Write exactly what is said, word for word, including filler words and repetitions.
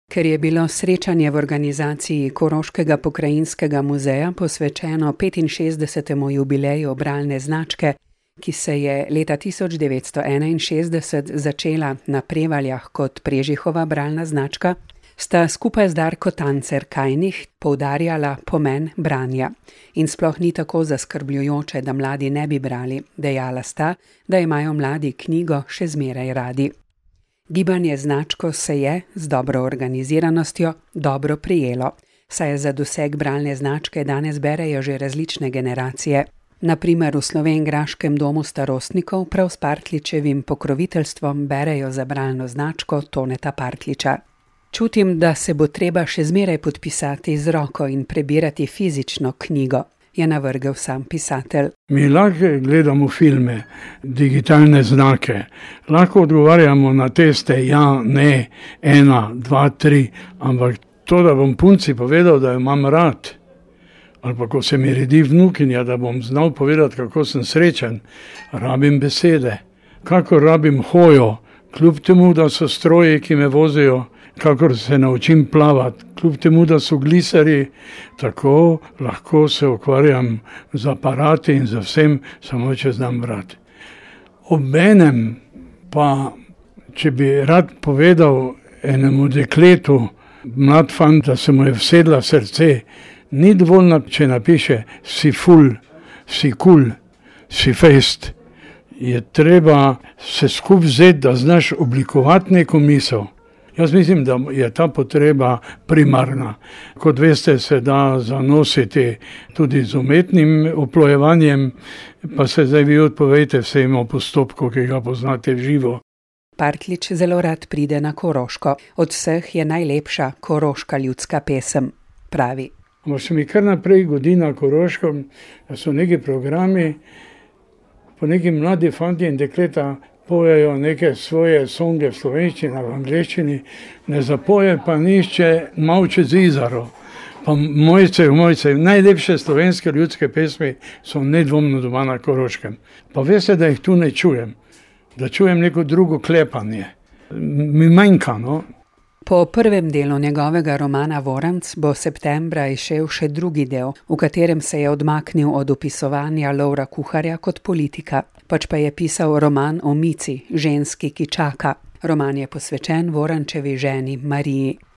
Ker je bilo srečanje v organizaciji Koroškega pokrajinskega muzeja posvečeno petinšestdesetemu jubileju bralne značke, ki se je leta tisoč devetsto enainšestdeset začela na Prevaljah kot Prežihova bralna značka, sta skupaj z Darko Tancer-Kajnih poudarjala pomen branja. In sploh ni tako zaskrbljujoče, da mladi ne bi brali. Dejala sta, da imajo mladi knjigo še zmeraj radi. Gibanje značko se je, z dobro organiziranostjo, dobro prijelo, saj za doseg bralne značke danes berejo že različne generacije. Na primer v Slovenjgraškem domu starostnikov prav s Partljičevim pokroviteljstvom berejo za bralno značko Toneta Partljiča. Čutim, da se bo treba še zmeraj podpisati z roko in prebirati fizično knjigo, je navrgel sam pisatelj. Mi lahko gledamo filme, digitalne znake, lahko odgovarjamo na teste, ja, ne, ena, dva, tri, ampak to, da bom punci povedal, da jo imam rad, ali pa ko se mi redi vnukinja, da bom znal povedati, kako sem srečen, rabim besede, kako rabim hojo, kljub temu, da so stroji, ki me vozijo, kakor se naučim plavati, kljub temu, da so glisari, tako lahko se ukvarjam z aparati in z vsem, samo če znam brati. Obenem pa, če bi rad povedal enemu dekletu, mlad fant, da se mu je vsedla srce, ni dovoljno, če napiše si ful, si kul, si fest. Je treba se skup vzeti, da znaš oblikovati neko misel. Jaz mislim, da je ta potreba primarna. Kot veste, se da zanositi tudi z umetnim oplojevanjem, pa se zdaj vi odpovejte vsemu postopku, ki ga poznate v živo. Partljič zelo rad pride na Koroško. Od vseh je najlepša koroška ljudska pesem, pravi. Ampak se mi kar naprej godi na Koroškem, da so neki programi, po neki mladi fanti in dekleta pojejo neke svoje songe v slovenščini, v angleščini, ne zapoje pa nišče Mavče z Izaro. Pa Mojce, Mojce, najlepše slovenske ljudske pesmi so nedvomno doma na Koroškem. Pa veste, da jih tu ne čujem, da čujem neko drugo klepanje. Mi manjka, no? Po prvem delu njegovega romana Voranc bo septembra izšel še drugi del, v katerem se je odmaknil od opisovanja Lovra Kuharja kot politika, pač pa je pisal roman o Mici, ženski, ki čaka. Roman je posvečen Vorančevi ženi Mariji.